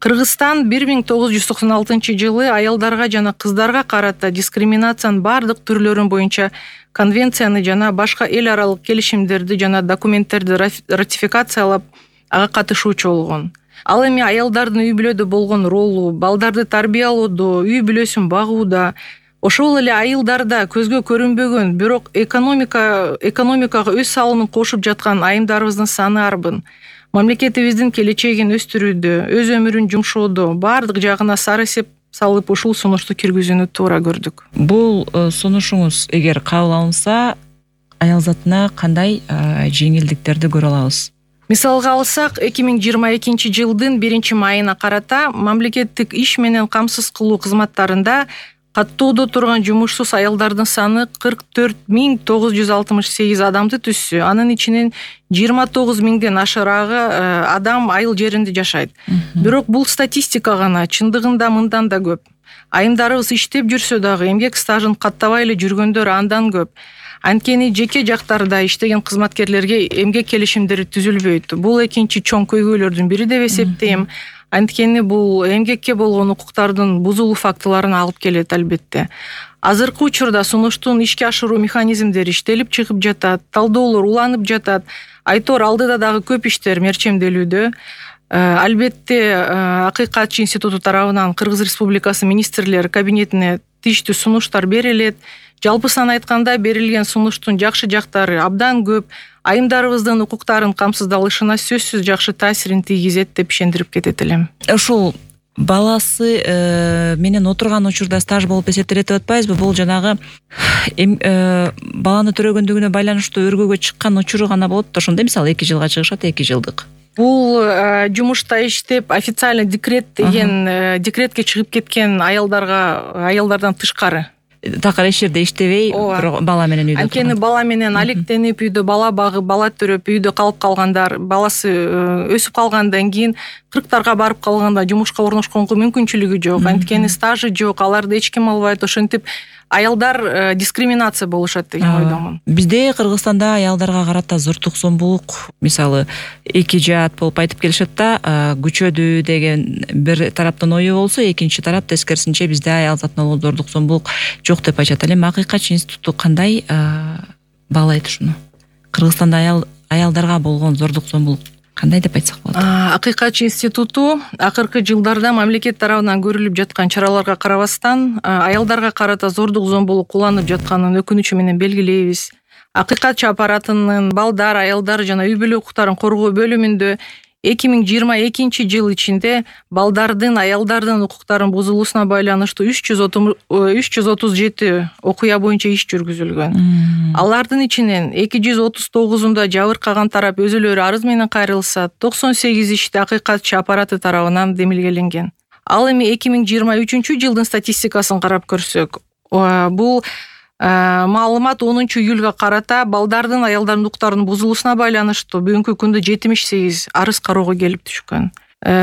Кыргызстан 1996-жылы аялдарга жана кыздарга карата дискриминациянын бардык түрлөрүн боюнча конвенцияны жана башка эл аралык келишимдерди жана документтерди ратификациялап ага катышуучу болгон. Ал эми аялдардын үй бүлөдө болгон ролу, балдарды тарбиялоодо, үй бүлөсүн багууда, ошол эле айылдарда көзгө көрүнбөгөн, бирок экономикага өз салымын кошуп жаткан айымдарыбыздын саны арбын. Мамлекетибиздин келечегин өстүрүүдө, өз өмүрүн жумшоодо бардык жагына сары эсеп салып ушул сунушту киргизүүнү туура көрдүк. Бул сунушуңуз эгер кабыл алынса, аял затына кандай жеңилдиктерди көрө алабыз? Мисалга алсак, 2022-жылдын 1-майына карата мамлекеттик иш менен камсыз кылуу кызматтарында каттоодо турган жумушсуз аялдардын саны 44.968 адамды түзсө, анын ичинен 29.000ден ашыраагы адам айыл жеринде жашайт. Бирок бул статистика гана, чындыгында мындан да көп. Айымдарыбыз иштеп жүрсө дагы эмгек стажын каттабай эле жүргөндөр андан көп. Анткени жеке жактарда иштеген кызматкерлерге эмгек келишимдери түзүлбөйт. Бул экинчи чоң көйгөйлөрдүн бири деп эсептейм. Анткени бул эмгекке болгон укуктардын бузулуу фактыларына алып келет албетте. Азыркы учурда сунуштун ишке ашыруу механизмдери иштелип чыгып жатат, талдоолор уланып жатат. Айтор алдыда дагы көп иштер мерчемделүүдө. Албетте Акыйкатчы институту тарабынан Кыргыз Республикасы министрлер кабинетине тийиштүү сунуштар берилет. Жалпысын айтканда берилген сунуштун жакшы жактары абдан көп. Айымдарыбыздын укуктарын камсыздалышына сөзсүз жакшы таасирин тийгизет деп ишендирип кетет элем. Ушул баласы менен отурган учурда стаж болуп эсептелет деп атпайбызбы? Бул жанагы баланы төрөгөндүгүнө байланыштуу өргөгө чыккан учуру гана болот да, ошондой мисалы 2 жылга чыгышат, 2 жылдык. Бул жумушта иштеп официально декрет деген декретке чыгып кеткен аялдардан тышкары. Такыр эч жерде иштебей, бала менен үйдө. Анткени бала менен алектенип, үйдө бала багып, бала төрөп, үйдө калып калгандар, баласы өсүп калгандан кийин 40-тарга барып калганда жумушка орношконго мүмкүнчүлүгү жок. Анткени стажы жок, аларды эч ким албайт. Ошентип аялдар дискриминация болушат деген ойдомун. Бизде Кыргызстанда аялдарга карата зордук зомбулук, мисалы, эки жаат болуп айтып келишет да, күчөдү деген бир тараптын ою болсо, экинчи тарап тескерисинче бизде аял затына зордук зомбулук жок деп айтат. Эле Акыйкатчы институту кандай баалайт ушуну? Кыргызстанда аялдарга болгон зордук зомбулук кандай деп айтсак болот? Акыйкатчы институту акыркы жылдарда мамлекет тарабынан көрүлүп жаткан чараларга карабастан аялдарга карата зордук зомбулук уланып жатканын өкүнүчү менен белгилейбиз. Акыйкатчы аппаратынын балдар, аялдар жана үй бүлө укуктарын коргоо бөлүмүндө 2022-жыл ичинде балдардын, аялдардын укуктарын бузулуусуна байланыштуу 337 окуя боюнча иш жүргүзүлгөн. Алардын ичинен 239-унда жабыркаган тарап өзүлөрү арыз менен кайрылса, 98 иште Акыйкатчы аппараты тарабынан демилгеленген. Ал эми 2023-жылдын статистикасын карап көрсөк, бул маалымат 10-июлга карата балдардын, аялдардын укуктарынын бузулуусуна байланыштуу бүгүнкү күндө 78 арыз кароого келип түшкөн.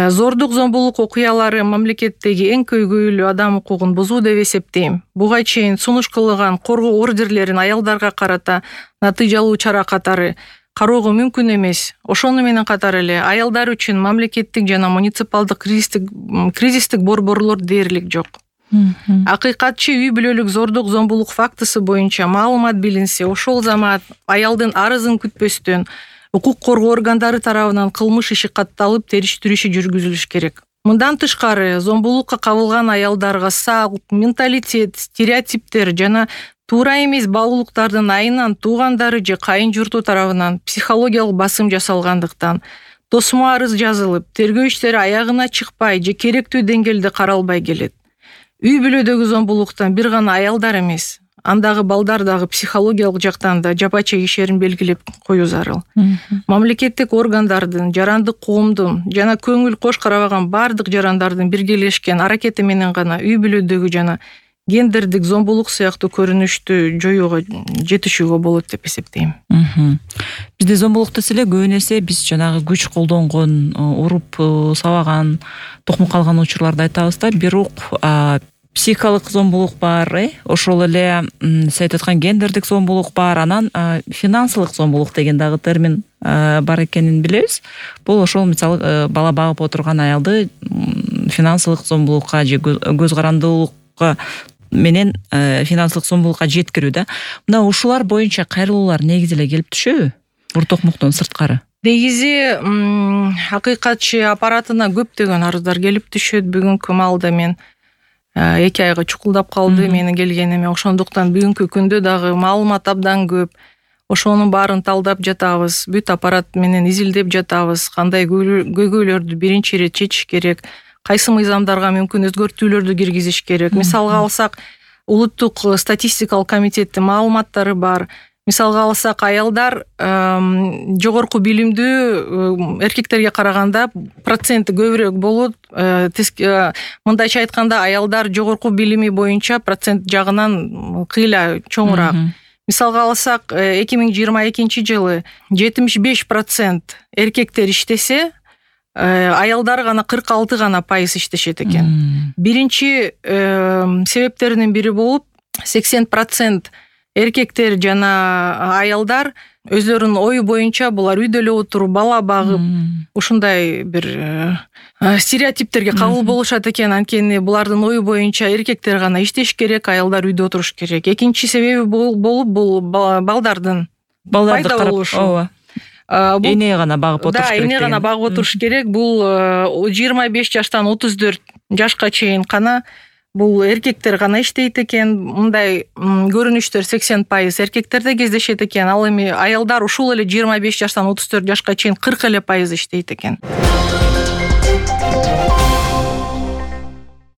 Зордук зомбулук окуялары мамлекеттеги эң көйгөйлүү адам укугун бузуу деп эсептейм. Буга чейин сунуш кылган коргоо ордерлерин аялдарга карата натыйжалуу чара катары кароого мүмкүн эмес. Ошону менен катар эле аялдар үчүн мамлекеттик жана муниципалдык кризистик борборлор дээрлик жок. Акыйкатчы үй бүлөлүк зордук зомбулук фактысы боюнча маалымат билинсе, ошол замат аялдын арызын күтпөстөн укук коргоо органдары тарабынан кылмыш иши катталып, териштирүү иши жүргүзүлүш керек. Мындан тышкары, зомбулукка кабылган аялдарга салт, менталитет, стереотиптер жана туура эмес баалуулуктардын айынан туугандары же кайын журту тарабынан психологиялык басым жасалгандыктан тосмо арыз жазылып, тергөө иштери аягына чыкпай же керектүү деңгээлде каралбай келет. Үй бүлөдөгү зомбулуктан бир гана аялдар эмес, андагы балдар дагы психологиялык жактан да жапа чегишерин белгилеп коюу зарыл. Мамлекеттик органдардын, жарандык коомдун жана көңүл кош карабаган бардык жарандардын биргелешкен аракети менен гана үй бүлөдөгү жана гендердик зомбулук сыяктуу көрүнүштү жоюуга жетишүүгө болот деп эсептейм. Бизде зомбулук десе эле көбүн эсе биз жанагы күч колдонгон, уруп сабаган, токмук калган учурларды айтабыз да. Бирок психикалык зомбулук бар, ошол эле сиз айтып аткан гендердик зомбулук бар, анан финансылык зомбулук деген дагы термин бар экенин билебиз. Бул ошол мисалы бала багып отурган аялды финансылык зомбулукка же көз карандуулукка менен финансылык зомбулукка жеткирүү да. Мына ушулар боюнча кайрылуулар негизи эле келип түшөбү? Уртокмуктон сырткары. Негизи акыйкатчы аппаратына көптөгөн арыздар келип түшөт. Бүгүнкү маалда мен 2 айга чукулдап калды менин келгениме. Ошондуктан бүгүнкү күндө дагы маалымат абдан көп. Ошонун баарын талдап жатабыз. Бүт аппарат менен изилдеп жатабыз. Кандай көйгөйлөрдү биринчи ирет чечиш керек, кайсы мыйзамдарга мүмкүн өзгөртүүлөрдү киргизиш керек. Мисалга алсак, улуттук статистикалык комитеттин маалыматтары бар. Мисалга алсак, аялдар жогорку билимдүү эркектерге караганда проценти көбүрөөк болот. Мындайча айтканда, аялдар жогорку билими боюнча процент жагынан кыйла чоңураак. Мисалга алсак, 2022 жылы 75% эркектер иштесе, аялдар гана 46 гана пайыз иштешет экен. Биринчи себептеринин бири болуп, 80% эркектер жана аялдар өздөрүнүн ою боюнча булар үйдө эле отуруп, бала багып, ушундай бир стереотиптерге кабыл болушат экен. Анткени булардын ою боюнча эркектер гана иштеш керек, аялдар үйдө отуруш керек. Экинчи себеби болуп бул балдардын пайда болушу. Эне гана багып отуруш керек. Да, эне гана багып отуруш керек. Бул 25 жаштан 34 жашка чейин гана бул эркектер гана иштейт экен. Мындай көрүнүштөр 80% эркектерде кездешет экен. Ал эми аялдар ушул эле 25 жаштан 34 жашка чейин 40% иштейт экен.